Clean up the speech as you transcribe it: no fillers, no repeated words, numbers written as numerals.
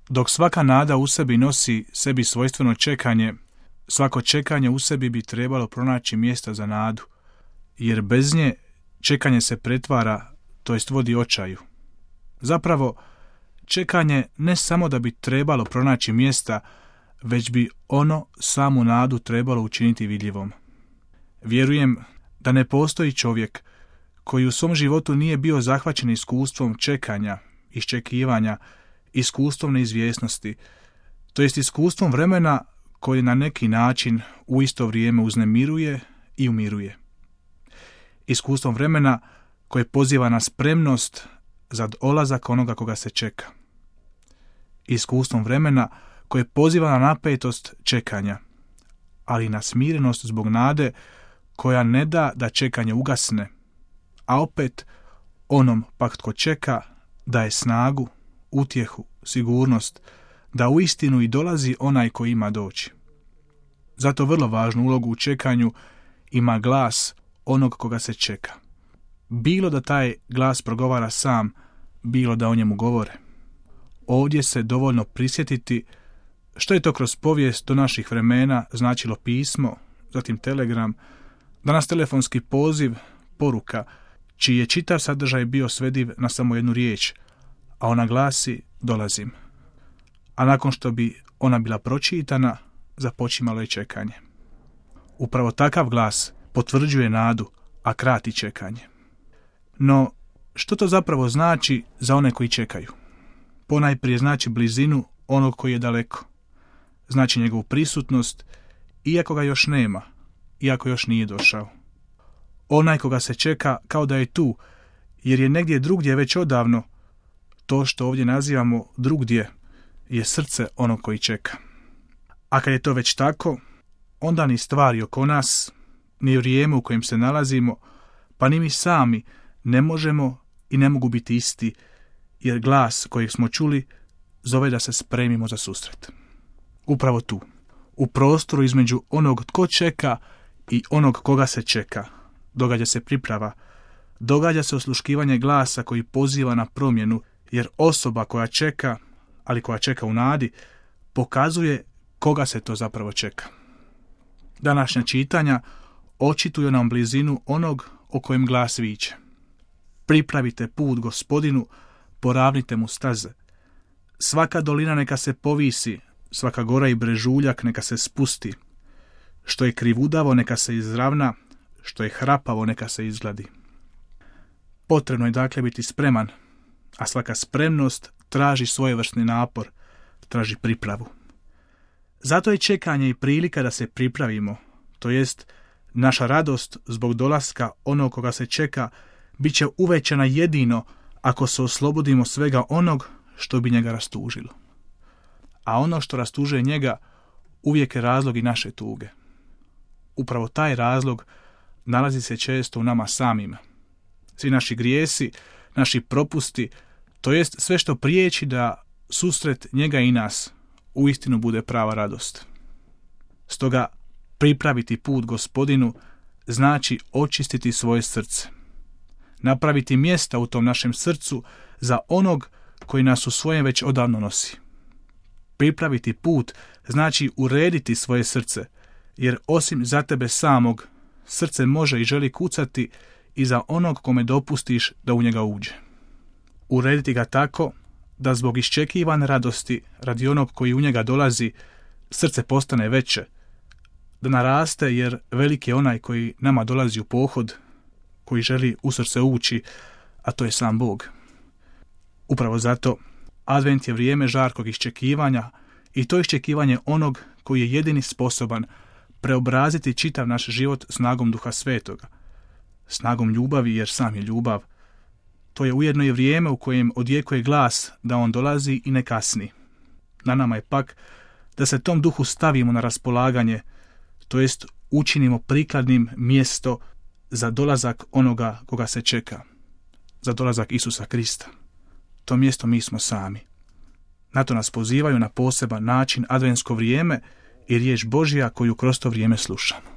Dok svaka nada u sebi nosi sebi svojstveno čekanje, svako čekanje u sebi bi trebalo pronaći mjesta za nadu, jer bez nje čekanje se pretvara, to jest vodi očaju. Zapravo, čekanje ne samo da bi trebalo pronaći mjesta, već bi ono samu nadu trebalo učiniti vidljivom. Vjerujem da ne postoji čovjek koji u svom životu nije bio zahvaćen iskustvom čekanja, iščekivanja, iskustvom neizvjesnosti, to jest iskustvom vremena koje na neki način u isto vrijeme uznemiruje i umiruje. Iskustvom vremena koje poziva na spremnost za dolazak onoga koga se čeka. Iskustvom vremena koje poziva na napetost čekanja, ali na smirenost zbog nade koja ne da da čekanje ugasne, a opet onom pak tko čeka daje snagu, utjehu, sigurnost, da uistinu i dolazi onaj koji ima doći. Zato vrlo važnu ulogu u čekanju ima glas onog koga se čeka. Bilo da taj glas progovara sam, bilo da o njemu govore. Ovdje se dovoljno prisjetiti što je to kroz povijest do naših vremena značilo pismo, zatim telegram, danas telefonski poziv, poruka, čiji je čitav sadržaj bio svediv na samo jednu riječ, a ona glasi dolazim. A nakon što bi ona bila pročitana, započimalo je čekanje. Upravo takav glas potvrđuje nadu, a krati čekanje. No, što to zapravo znači za one koji čekaju? Ponajprije znači blizinu onog koji je daleko. Znači njegovu prisutnost, iako ga još nema, iako još nije došao. Onaj koga se čeka kao da je tu, jer je negdje drugdje već odavno, to što ovdje nazivamo drugdje je srce onog koji čeka. A kad je to već tako, onda ni stvari oko nas, ni vrijeme u kojem se nalazimo, pa ni mi sami ne možemo i ne mogu biti isti, jer glas kojeg smo čuli zove da se spremimo za susret. Upravo tu, u prostoru između onog tko čeka i onog koga se čeka, događa se priprava, događa se osluškivanje glasa koji poziva na promjenu, jer osoba koja čeka, ali koja čeka u nadi, pokazuje koga se to zapravo čeka. Današnja čitanja očituju nam blizinu onog o kojem glas viče. Pripravite put Gospodinu, poravnite mu staze. Svaka dolina neka se povisi, svaka gora i brežuljak neka se spusti. Što je krivudavo neka se izravna, što je hrapavo neka se izgladi. Potrebno je dakle biti spreman, a svaka spremnost traži svojevrsni napor, traži pripravu. Zato je čekanje i prilika da se pripravimo, to jest naša radost zbog dolaska onog koga se čeka bit će uvećana jedino ako se oslobodimo svega onog što bi njega rastužilo. A ono što rastužuje njega uvijek je razlog i naše tuge. Upravo taj razlog nalazi se često u nama samima. Svi naši grijesi, naši propusti, to jest sve što priječi da susret njega i nas uistinu bude prava radost. Stoga pripraviti put Gospodinu znači očistiti svoje srce. Napraviti mjesta u tom našem srcu za onog koji nas u svojem već odavno nosi. Pripraviti put znači urediti svoje srce, jer osim za tebe samog, srce može i želi kucati i za onog kome dopustiš da u njega uđe. Urediti ga tako da zbog iščekivane radosti radi onog koji u njega dolazi, srce postane veće, da naraste jer velik je onaj koji nama dolazi u pohod, koji želi u srce ući, a to je sam Bog. Upravo zato Advent je vrijeme žarkog iščekivanja i to iščekivanje onog koji je jedini sposoban preobraziti čitav naš život snagom Duha Svetoga, snagom ljubavi jer sam je ljubav. To je ujedno i vrijeme u kojem odjekuje glas da on dolazi i ne kasni. Na nama je pak da se tom duhu stavimo na raspolaganje, to jest učinimo prikladnim mjesto za dolazak onoga koga se čeka, za dolazak Isusa Krista. To mjesto mi smo sami. Na to nas pozivaju na poseban način adventsko vrijeme i riječ Božja koju kroz to vrijeme slušamo.